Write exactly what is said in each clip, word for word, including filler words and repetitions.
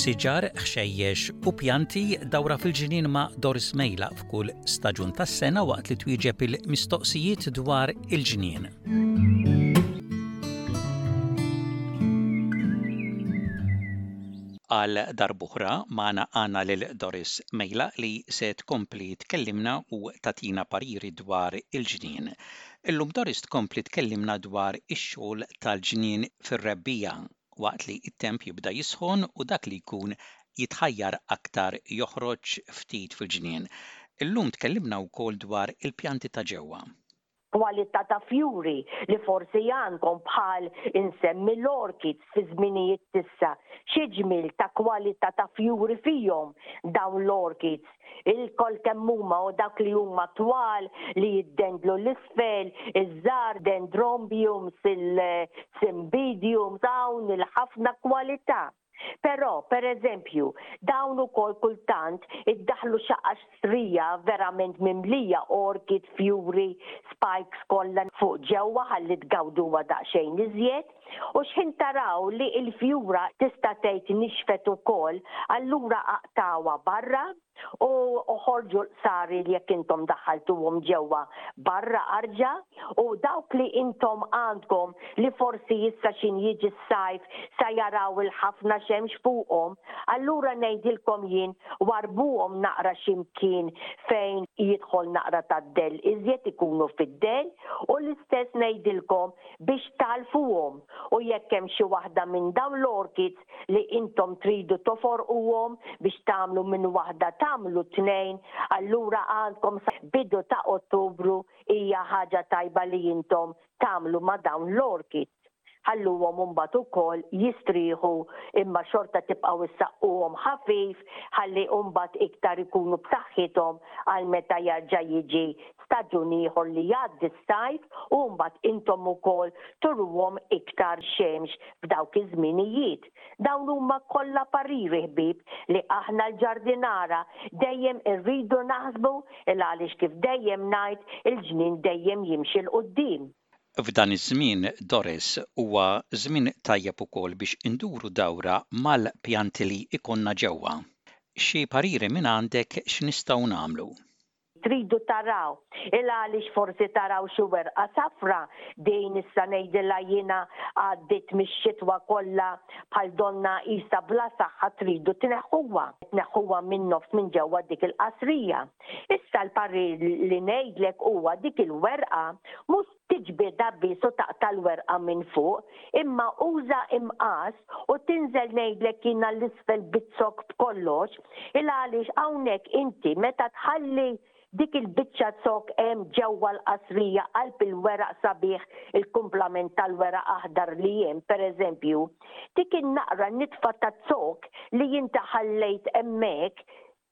Siġar, ħxejjex u pjanti dawra fil-ġnien ma' Doris Mejla f'kull staġun tas-sena waqt li twieġeb il-mistoqsijiet dwar il-ġnien. Għal darb'oħra magħna għandna lil Doris Mejla li se tkompli tkellimna u tagħtina pariri dwar il-ġnien. Illum Doris tkompli tkellimna dwar ix-xogħol tal-ġnien fir-rebbiegħa waqt li t-temp jibda jisħon u dak li jkun jitħajjar aktar joħroġ ftit fil-ġnien. Illum tkellimna wkoll dwar il-pjanti ta' ġewwa. Kwalità ta' fjuri li forsi għandkom bħal insemmi l-orchids fi żminijiet t'issa, xi ġmiel ta' kwalità ta' fjuri fihom dawn l-orchids. Ilkoll kemm huma u dak li huma twal li jiddendlu 'l isfel, iż-żgħar dendrobiums, il-cymbidiums, hawn il-ħafna kwalità. Però, per eżempju, dawn ukoll kultant iddaħħlu xi qastrija verament mimlija orchid, fjuri, spikes kollha fuq ġewwa ħalli tgawduha daqsxejn iżjed. U x'ħin taraw li l-fjura tista' tgħid nixfet ukoll, allura aqtgħuha barra u oħorġu l-qsari li jekk intom daħħaltuhom ġewwa barra arġa u dawk li intom għandkom li forsi issa x'in jiġi s-sajf sa jaraw il-ħafna xemx fuqhom, allura ngħidilkom jien warbuhom naqra x'imkien fejn jidħol naqra tad-dell iżjed ikunu fid-dell u l-istess ngħidilkom biex tagħlfuhom u jekk hemm xi waħda minn dawn l-orchids li intom tridu toforquhom biex tagħmlu minn waħda tagħmlu tnejn, allura għandkom sa bidu ta' Ottubru hija ħaġa tajba li intom tagħmlu ma' dawn l-orchids. Ħalluhom imbagħad ukoll jistrieħu imma xorta tibqgħu issaqquhom ħafif ħalli mbagħad iktar ikunu b'saħħithom għal meta jerġa' jiġi staġun ieħor li jgħaddi s-sajf u mbagħad intom ukoll turuhom iktar xemx f'dawk iż-żminijiet. Dawn huma kollha pariri ħbieb li aħna l-ġardinara dejjem irridu naħsbu il għaliex kif dejjem ngħid il-ġnien dejjem jimxi 'l quddiem. F'dan iż-żmien, Doris, huwa żmien tajjeb ukoll biex induru dawra mal-pjanti li jkollna ġewwa. Xi pariri mingħandek x'nistgħu nagħmlu? Tridu taraw il għaliex forsi taraw xi werqa safra din issa ngħidilha jiena għaddiet mix-xitwa kollha bħal donnha qisha bla saħħa tridu tneħħuha. Tneħħuha min-nofs minn ġewwa dik il-qasrija. Issa l-parir li ngħidlek huwa dik il-werqa mhux tiġbidha biss u taqta' l-werqa minn fuq, imma uża imqass u tinżel ngħidlek jiena 'l isfel biz-zokk b'kollox, il għaliex hawnhekk inti meta tħalli dik il-biċċa zokk hemm ġewwa l-qasrija qalb il-weraq sabiħ il-kumplament tal-weraq aħdar li hemm pereżempju, dik in-naqra nitfa ta' zokk li inti ħallejt hemmhekk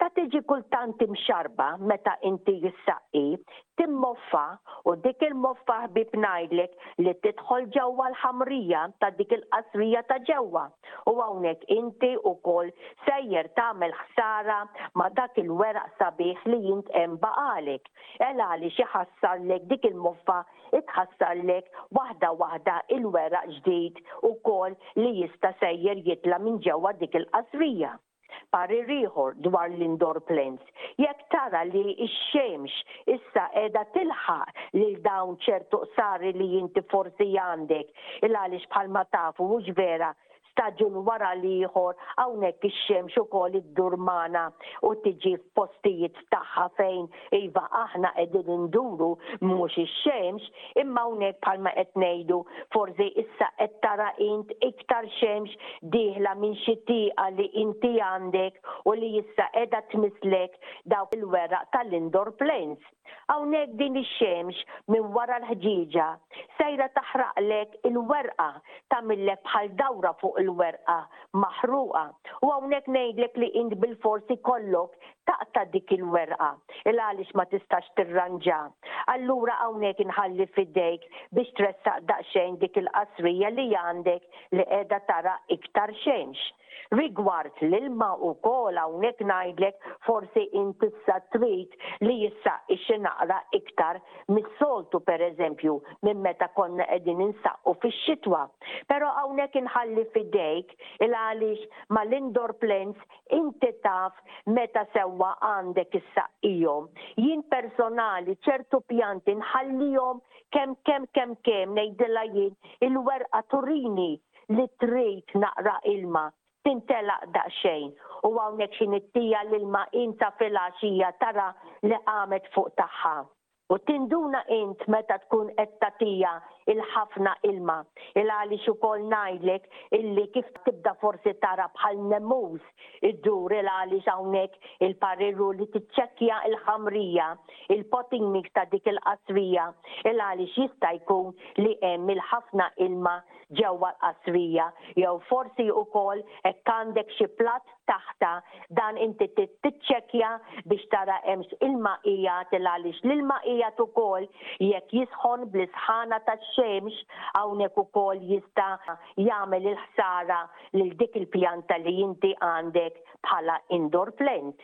ta' tiġi kultant imxarrba meta inti ssaqqi, timmoffa u dik il-moffa ħbieb ngħidlek li tidħol ġewwa l-ħamrija ta' dik il-qasrija ta' ġewwa u hawnhekk inti wkoll sejjer tagħmel ħsara ma' dak il-weraq sabiħ li int hemm baqagħlek. El għaliex iħassarlek dik il-moffa itħassarlek waħda waħda il-weraq ġdid ukoll li jista' sejjer jitla' minn ġewwa dik il-qasrija. Parir ieħor dwar l-indoor plants, jekk tara li x-xemx issa qiegħda tilħaq lil dawn ċertu qsari li inti forsi għandek, il għaliex bħalma tafu hux vera staġun wara l-ieħor hawnhekk ix-xemx ukoll iddur magħna u tiġi f'postijiet tagħha fejn iva aħna qegħdin induru mhux ix-xemx, imma hawnhekk bħalma qed ngħidu forsi issa qed tara int iktar xemx dieħla minn xi tieqa li inti għandek u li issa qiegħda tmisslek dawk il-weraq tal-indoor plants. Hawnhekk din ix-xemx minn wara l-ħġieġa sejra taħraqlek il-werqa, tagħmillek bħal dawra fuq il-werqa maħruqa. U hawnhekk ngħidlek li int bilfors ikollok taqta' dik il-werqa il għaliex ma tistax tirranġa. Allura hawnhekk inħalli f'idejk biex tressaq daqsxejn dik il-qasrija li għandek li qiegħda tara iktar xemx. Rigward l-ilma ukoll, hawnhekk ngħidlek forsi inti issa trid li jissaqqi xi naqra iktar mis-soltu, pereżempju minn meta konna qegħdin insaqqu fix-xitwa. Però hawnhekk inħalli f'idejk, il għaliex mal-indoor plants inti taf meta sewwa għandek issaqqihom. Jien personali ċertu pjanti nħallihom kemm kemm kemm kemm ngħidilha jien il-werqa turini li trid naqra ilma, tintelaq daqsxejn, u hawnhekk xi nittija l-ilma inta filgħaxija tara li qamet fuq tagħha. U tinduna int meta tkun qed tagħtiha il-ħafna ilma. Il għaliex ukoll ngħidlek illi kif tibda forsi tara bħal nemus iddur, il għaliex hawnhekk il-parir hu li tiċċekkja il-ħamrija, il-potting mix ta' dik il-qasrija, il għaliex jista' jkun li hemm il-ħafna ilma ġewwa l-qasrija, jew forsi wkoll hekk għandek xi platt taħta dan, inti tiċċekkja biex tara hemmx ilma qiegħed, il għaliex l-ilma qiegħed ukoll jekk jisħon bl-isħana tax-xemx hawnhekk ukoll jista' jagħmel il-ħsara lil dik il-pjanta li inti għandek bħala indoor plant.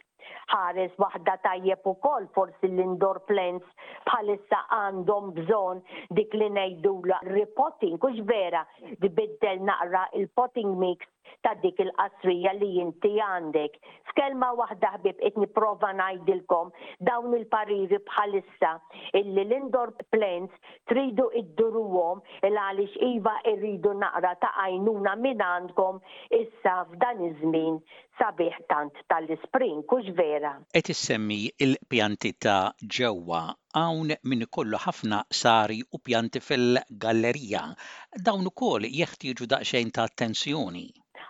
Ħares waħda tajjeb ukoll, forsi l-indoor plants bħalissa għandhom bżonn dik li ngħidula repotting, hux vera, tbiddel naqra il-potting mix ta' dik il-qasrija li inti għandek. F'kelma waħda, ħbieb, qed nipprova ngħidilkom dawn il-pariri bħalissa illi l-indoor plants tridu idduruhom, il għaliex iva irridu naqra ta' għajnuna minn għandkom issa f'dan iż-żmien sabiħ tant tal-spring, hux vera? Qed issemmi il-pjanti ta' ġewwa. Hawn min ikollu ħafna qsari u pjanti fil-gallerija. Dawn ukoll jeħtieġu daqsxejn ta' attenzjoni.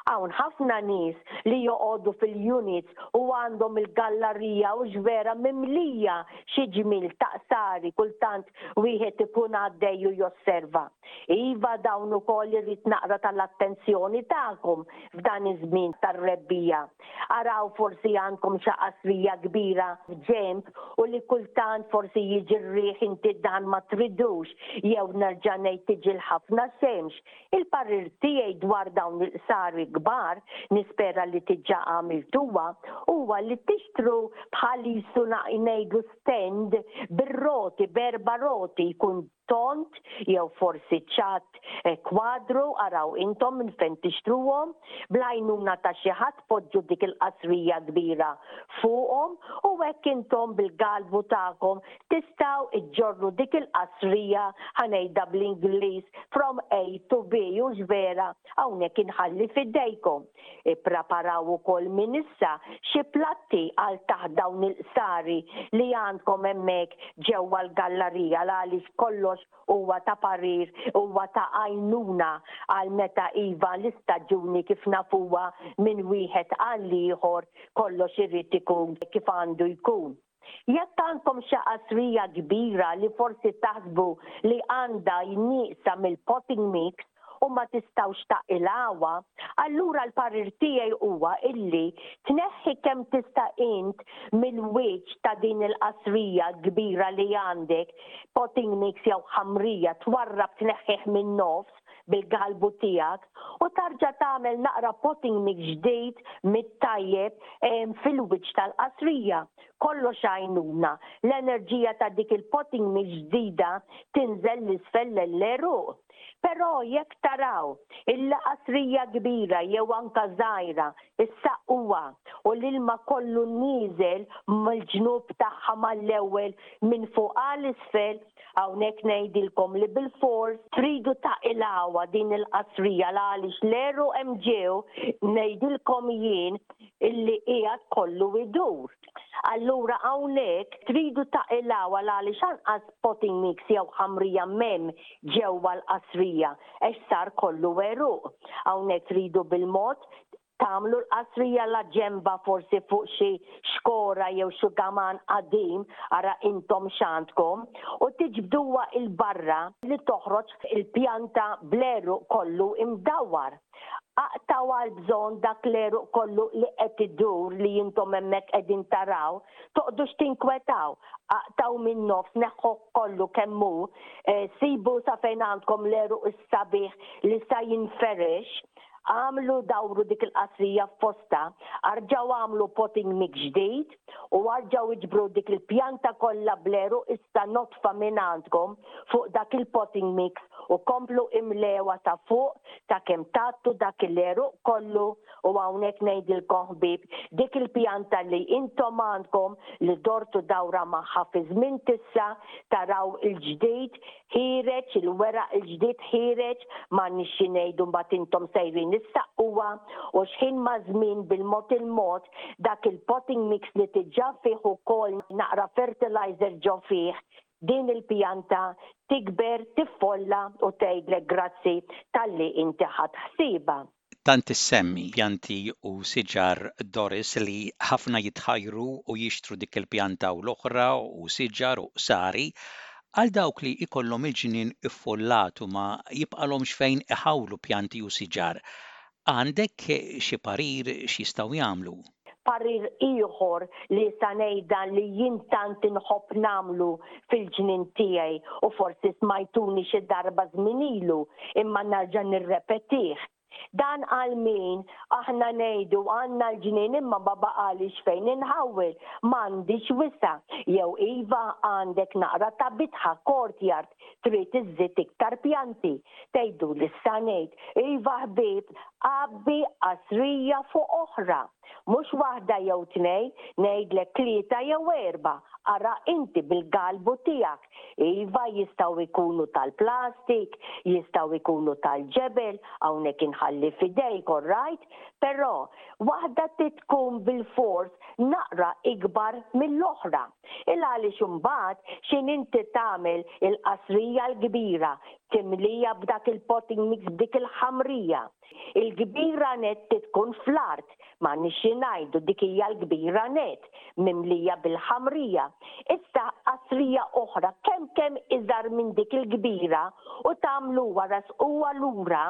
Hawn ħafna nies li joqogħdu fil-units u għandhom il-gallerija, hux vera, mimlija xi ġmil ta' qsari, kultant wieħed ikun għaddej u josserva. Iva, dawn ukoll irid naqra tal-attenzjoni tagħkom f'dan iż-żmien tar-rebbiegħa. Araw forsi għandkom xi qasrija kbira ġemb u li kultant forsi jiġi r-riħ, inti dan ma tridux, jew nerġa' ngħid tiġi l-ħafna xemx. Il-parir tiegħi dwar dawn il-qsari kbar, nispera li diġà għamiltuha, huwa li tixtru bħal jisu ngħidu stand bir-roti, b'erba' roti, jkun tond jew forsi ċatt, eh, kwadru, araw intom minn fejn tixtruhom, bl-għajnuna ta' xi ħadd poġġu dik il-qasrija kbira fuqhom u hekk intom bil-galbu tagħkom tistgħu iġġorru dik il-qasrija, ħa ngħidha bl-Ingliż, from A to B, hux vera? Hawnhekk inħalli f'idejkom. Ippreparaw ukoll minn issa xi platti għal taħt dawn il-qsari li għandkom hemmhekk ġewwa l-gallerija, għaliex kollox huwa ta' parir, huwa ta' għajnuna għal meta iva l-istaġuni kif nafuha minn wieħed għal ieħor kollox irid ikun kif għandu jkun. Jekk għandkom xi qasrija kbira li forsi taħsbu li għandha nieqsa mill-potting mix u ma tistgħux taqilgħuha, allura l-parir tiegħi huwa illi tneħħi kemm tista' int mill-wiċċ ta' din il-qasrija kbira li għandek potting mix jew ħamrija, twarrab, tneħħih minn nofs bil-galbu tiegħek u tarġa' tagħmel naqra potting mix ġdid mit-tajjeb fil-wiċċ tal-qasrija. Kollox għajnuna. L-enerġija ta' dik il-potting mix ġdida tinżel 'l isfel l-għeruq. Però jekk taraw il-qasrija kbira jew anka żgħira issaqquha u l-ilma kollu nieżel mill-ġnub tagħha mal-ewwel minn fuq għal isfel, hawnhekk ngħidilkom li bil-fors tridu taqilgħuha din il-qasrija, għaliex l-għeruq hemm ġew, ngħidilkom jien illi qiegħed kollu idur. Allura hawnhekk tridu taqilgħuha, għaliex anqas potting mix jew ħamrija m'hemm ġewwa l-qasrija għax sar kollu għeruq. Hawnhekk tridu bil-mod tagħmlu l-qasrija la ġemba, forsi fuq xi xkora jew xugaman qadim, ara intom x'għandkom, u tiġbduha 'il barra li toħroġ il-pjanta bl-għeruq kollu imdawwar. Aqtgħu għal bżonn dak l-għeruq kollu li qed idur li intom hemmhekk qegħdin taraw, toqgħodux tinkwetaw, aqtgħu minn nofs, neħħu kollu kemm hu, eh, sibu sa fejn għandkom l-għeruq is-sabiħ li sa jinferex. Għamlu dawru dik il-qasrija f'posta, arġaw għamlu potting mix ġdid u arġaw iġbru dik il-pjanta kollha bl-għeruq issa nodfa minn għandkom fuq dak il-potting mix u komplu imlewha ta' fuq ta' kemm tgħattu dak il-għeruq kollu. U hawnhekk ngħidilkom, ħbieb, dik il-pjanta li intom għandkom li dortu dawra magħha, fi żmien tissa taraw il-ġdid ħiereġ, il-weraq il-ġdid ħiereġ, ma nixxi ngħidu mbagħad intom sejrin issaqquha u xħin ma' żmien, bil-mod il-mod, dak il-potting mix li diġà fih ukoll naqra fertilizer ġo fih, din il-pjanta tikber, tiffolla u tgħidlek grazzi talli inti ħadt ħsiebha. Tant issemmi pjanti u siġar, Doris, li ħafna jitħajru u jixtru dik il-pjanta u l-oħra u siġar u qsari. Għal dawk li ikollhom il-ġnien iffollat u ma jibqalhomx fejn iħawlu pjanti u siġar, għandek xi parir x'jistgħu jagħmlu? Parir ieħor li sa ngħidha li jien tant inħobb nagħmlu fil-ġnien tiegħi u forsi smajtuni xi darba żmien ilu, imma nerġa' nirrepetih. Dan għal min aħna ngħidu għandna l-ġnien imma ma baqalix fejn inħawwel, m'għandix wisa', jew iva għandek naqra ta' bitħa, courtyard, trid iżżid iktar pjanti. Tgħidu li ngħid, iva ħbieb, għabbi qasrija fuq oħra. Mhux waħda jew tnej, ngħidlek tlieta jew erba', ara inti bil-galbu tiegħek. Iva, jistgħu jkunu tal-plastik, jistgħu jkunu tal-ġebel, hawnhekk inħalli f'idejk, right? Però waħda tkun bil-fors naqra ikbar mill-oħra. Il għaliex imbagħad x'in inti tagħmel il-qasrija l-kbira, timlija b'dak il-potting mix, b'dik il-ħamrija. Il-kbira net tkun fl-art, ma nixi ngħidu dik hija l-kbira net, mimlija bil-ħamrija. Issa qasrija oħra kemm kemm iżgħar minn dik il-kbira u tagħmlu wara huwa lura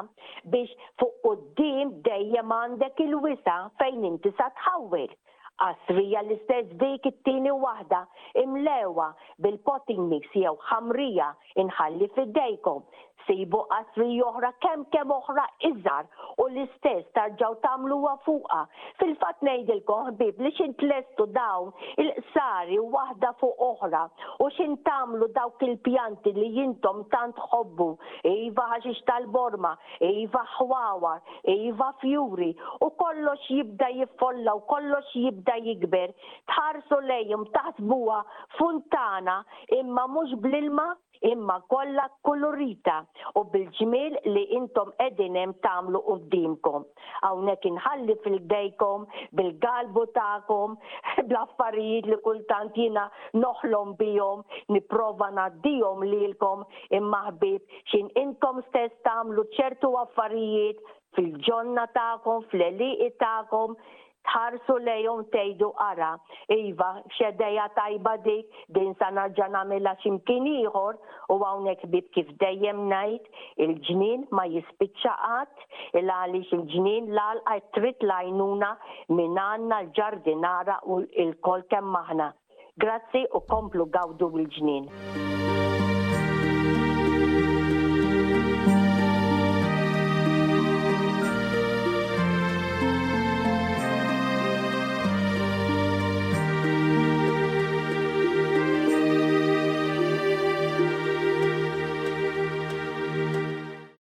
biex fuq quddiem dejjem għandek il-wisa' fejn inti sa tħawwel. Qasrija l-istess, dik it-tieni waħda imlewha bil-potting mix jew ħamrija, inħalli f'idejkom. Sibu qasrija oħra kemm kemm oħra iżgħar u l-istess tarġaw tagħmluha fuqha. Fil-fatt ngħidilkom, ħbieb, li xin tlestu dawn il-qsari waħda fuq oħra u xin tagħmlu dawk il-pjanti li intom tant tħobbu, iva ħaxix tal-borma, iva ħwawar, iva fjuri, u kollox jibda jiffolla u kollox jibda jikber, tħarsu lejhom taħsbuha funtana, imma mhux bl-ilma, imma kollha kolorita u bil-ġmiel li intom qegħdin hemm tagħmlu quddiemkom. Hawnhekk inħalli f'idejkom bil-galbu tagħkom, bl-affarijiet li kultant jiena noħlom bihom, nipprova ngħaddihom lilkom, imma ħbieb, xin intom stess tagħmlu ċertu affarijiet fil-ġonna tagħkom, fl-għelieqi tagħkom, tħarsu lejhom tgħidu, "Ara, iva, x'idea tajba dik, din sa nerġa' nagħmilha x'imkien ieħor." U hawnhekk, ħbieb, kif dejjem ngħid, il-ġnien ma jispiċċa qatt, il għaliex il-ġnien, l-għalqa trid l-għajnuna minn għandna l-ġardinara u lkoll kemm aħna. Grazzi u komplu gawdu bil-ġnien.